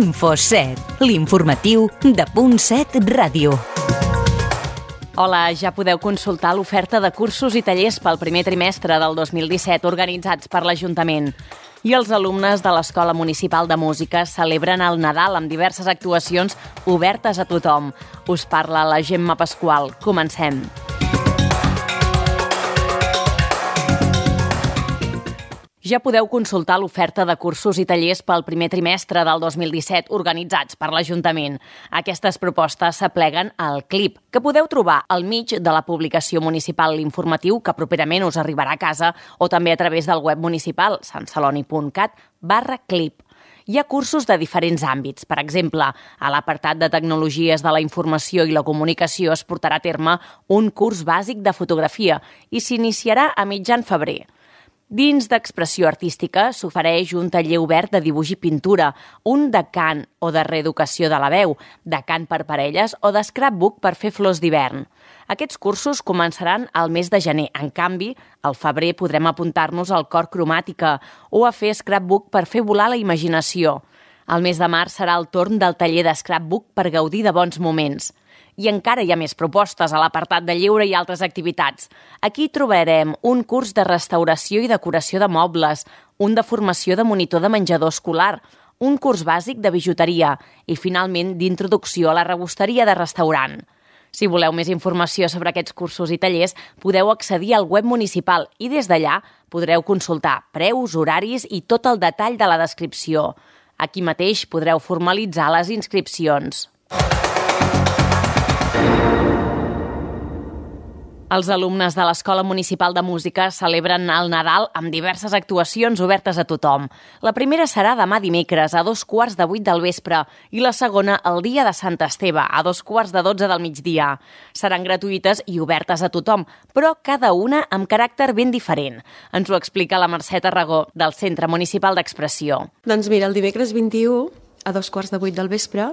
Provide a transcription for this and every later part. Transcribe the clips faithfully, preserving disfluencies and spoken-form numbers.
Info set, l'informatiu de Punt set Ràdio. Hola, ja podeu consultar l'oferta de cursos i tallers pel primer trimestre del dos mil disset organitzats per l'Ajuntament. I els alumnes de l'Escola Municipal de Música celebren el Nadal amb diverses actuacions obertes a tothom. Us parla la Gemma Pasqual. Comencem. Ja podeu consultar l'oferta de cursos i tallers pel primer trimestre del dos mil disset organitzats per l'Ajuntament. Aquestes propostes s'apleguen al CLIP, que podeu trobar al mig de la publicació municipal L'Informatiu, que properament us arribarà a casa, o també a través del web municipal santceloni.cat barra CLIP. Hi ha cursos de diferents àmbits. Per exemple, a l'apartat de Tecnologies de la Informació i la Comunicació es portarà a terme un curs bàsic de fotografia i s'iniciarà a mitjan febrer. Dins d'expressió artística s'ofereix un taller obert de dibuix i pintura, un de cant o de reeducació de la veu, de cant per parelles o de scrapbook per fer flors d'hivern. Aquests cursos començaran al mes de gener. En canvi, al febrer podrem apuntar-nos al cor cromàtica o a fer scrapbook per fer volar la imaginació. Al mes de març serà el torn del taller de scrapbook per gaudir de bons moments. I encara hi ha més propostes a l'apartat de lleure i altres activitats. Aquí trobarem un curs de restauració i decoració de mobles, un de formació de monitor de menjador escolar, un curs bàsic de bijuteria i, finalment, d'introducció a la rebosteria de restaurant. Si voleu més informació sobre aquests cursos i tallers, podeu accedir al web municipal i des d'allà podreu consultar preus, horaris i tot el detall de la descripció. Aquí mateix podreu formalitzar les inscripcions. Els alumnes de l'Escola Municipal de Música celebren el Nadal amb diverses actuacions obertes a tothom. La primera serà demà dimecres a dos quarts de vuit del vespre i la segona el dia de Sant Esteve a dos quarts de dotze del migdia. Seran gratuïtes i obertes a tothom, però cada una amb caràcter ben diferent. Ens ho explica la Mercè Tarragó, del Centre Municipal d'Expressió. Doncs mira, el dimecres vint-i-u a dos quarts de vuit del vespre,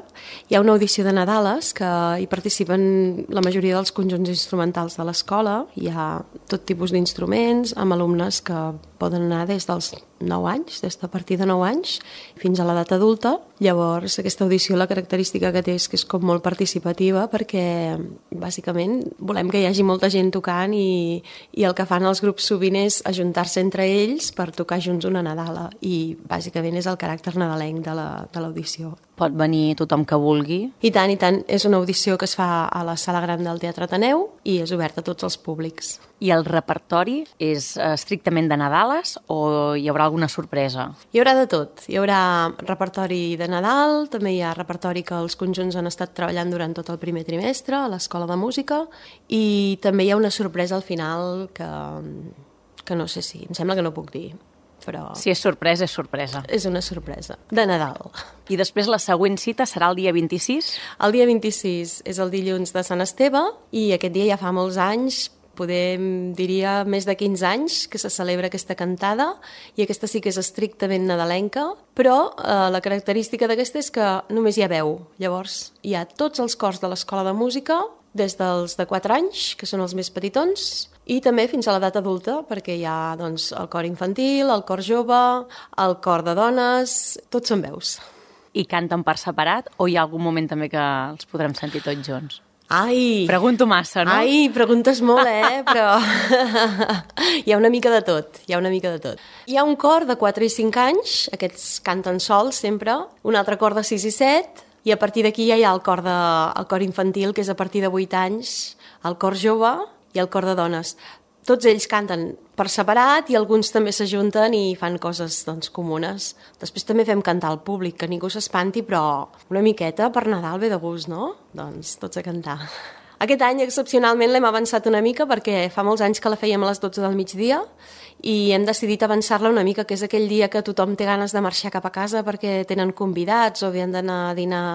hi ha una audició de Nadales que hi participen la majoria dels conjunts instrumentals de l'escola. Hi ha tot tipus d'instruments, amb alumnes que poden anar des dels nou anys, des de a partir de nou anys, fins a l'edat adulta. Llavors, aquesta audició, la característica que té és que és com molt participativa perquè, bàsicament, volem que hi hagi molta gent tocant i, i el que fan els grups sovint és ajuntar-se entre ells per tocar junts una Nadala i, bàsicament, és el caràcter nadalenc de la, de l'audició. Pot venir tothom que vulgui? I tant, i tant. És una audició que es fa a la Sala Gran del Teatre Ateneu i és oberta a tots els públics. I el repertori és estrictament de Nadales o hi haurà alguna sorpresa? Hi haurà de tot. Hi haurà repertori de Nadal, també hi ha repertori que els conjunts han estat treballant durant tot el primer trimestre a l'Escola de Música i també hi ha una sorpresa al final que, que no sé si... Em sembla que no puc dir. Però si és sorpresa, és sorpresa. És una sorpresa, de Nadal. I després la següent cita serà el dia vint-i-sis? El dia vint-i-sis és el dilluns de Sant Esteve i aquest dia ja fa molts anys, podem, diria, més de quinze anys que se celebra aquesta cantada i aquesta sí que és estrictament nadalenca, però eh, la característica d'aquesta és que només hi ha veu. Llavors hi ha tots els cors de l'Escola de Música, des dels de quatre anys, que són els més petitons, i també fins a l'edat adulta, perquè hi ha doncs, el cor infantil, el cor jove, el cor de dones, tots són veus. I canten per separat o hi ha algun moment també que els podrem sentir tots junts? Ai! Pregunto massa, no? Ai, preguntes molt, eh? Però hi ha una mica de tot, hi ha una mica de tot. Hi ha un cor de quatre i cinc anys, aquests canten sols sempre, un altre cor de sis i set, i a partir d'aquí ja hi ha el cor, de, el cor infantil, que és a partir de vuit anys, el cor jove i el cor de dones. Tots ells canten per separat i alguns també s'ajunten i fan coses doncs, comunes. Després també fem cantar al públic, que ningú s'espanti, però una miqueta per Nadal ve de gust, no? Doncs tots a cantar. Aquest any, excepcionalment, l'hem avançat una mica perquè fa molts anys que la fèiem a les dotze del migdia i hem decidit avançar-la una mica, que és aquell dia que tothom té ganes de marxar cap a casa perquè tenen convidats o havien d'anar a dinar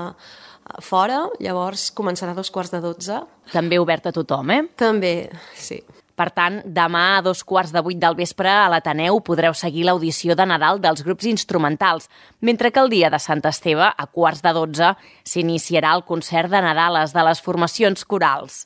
fora, llavors començarà a dos quarts de dotze. També obert a tothom, eh? També, sí. Per tant, demà a dos quarts de vuit del vespre a l'Ateneu podreu seguir l'audició de Nadal dels grups instrumentals, mentre que el dia de Sant Esteve, a quarts de dotze, s'iniciarà el concert de Nadales de les formacions corals.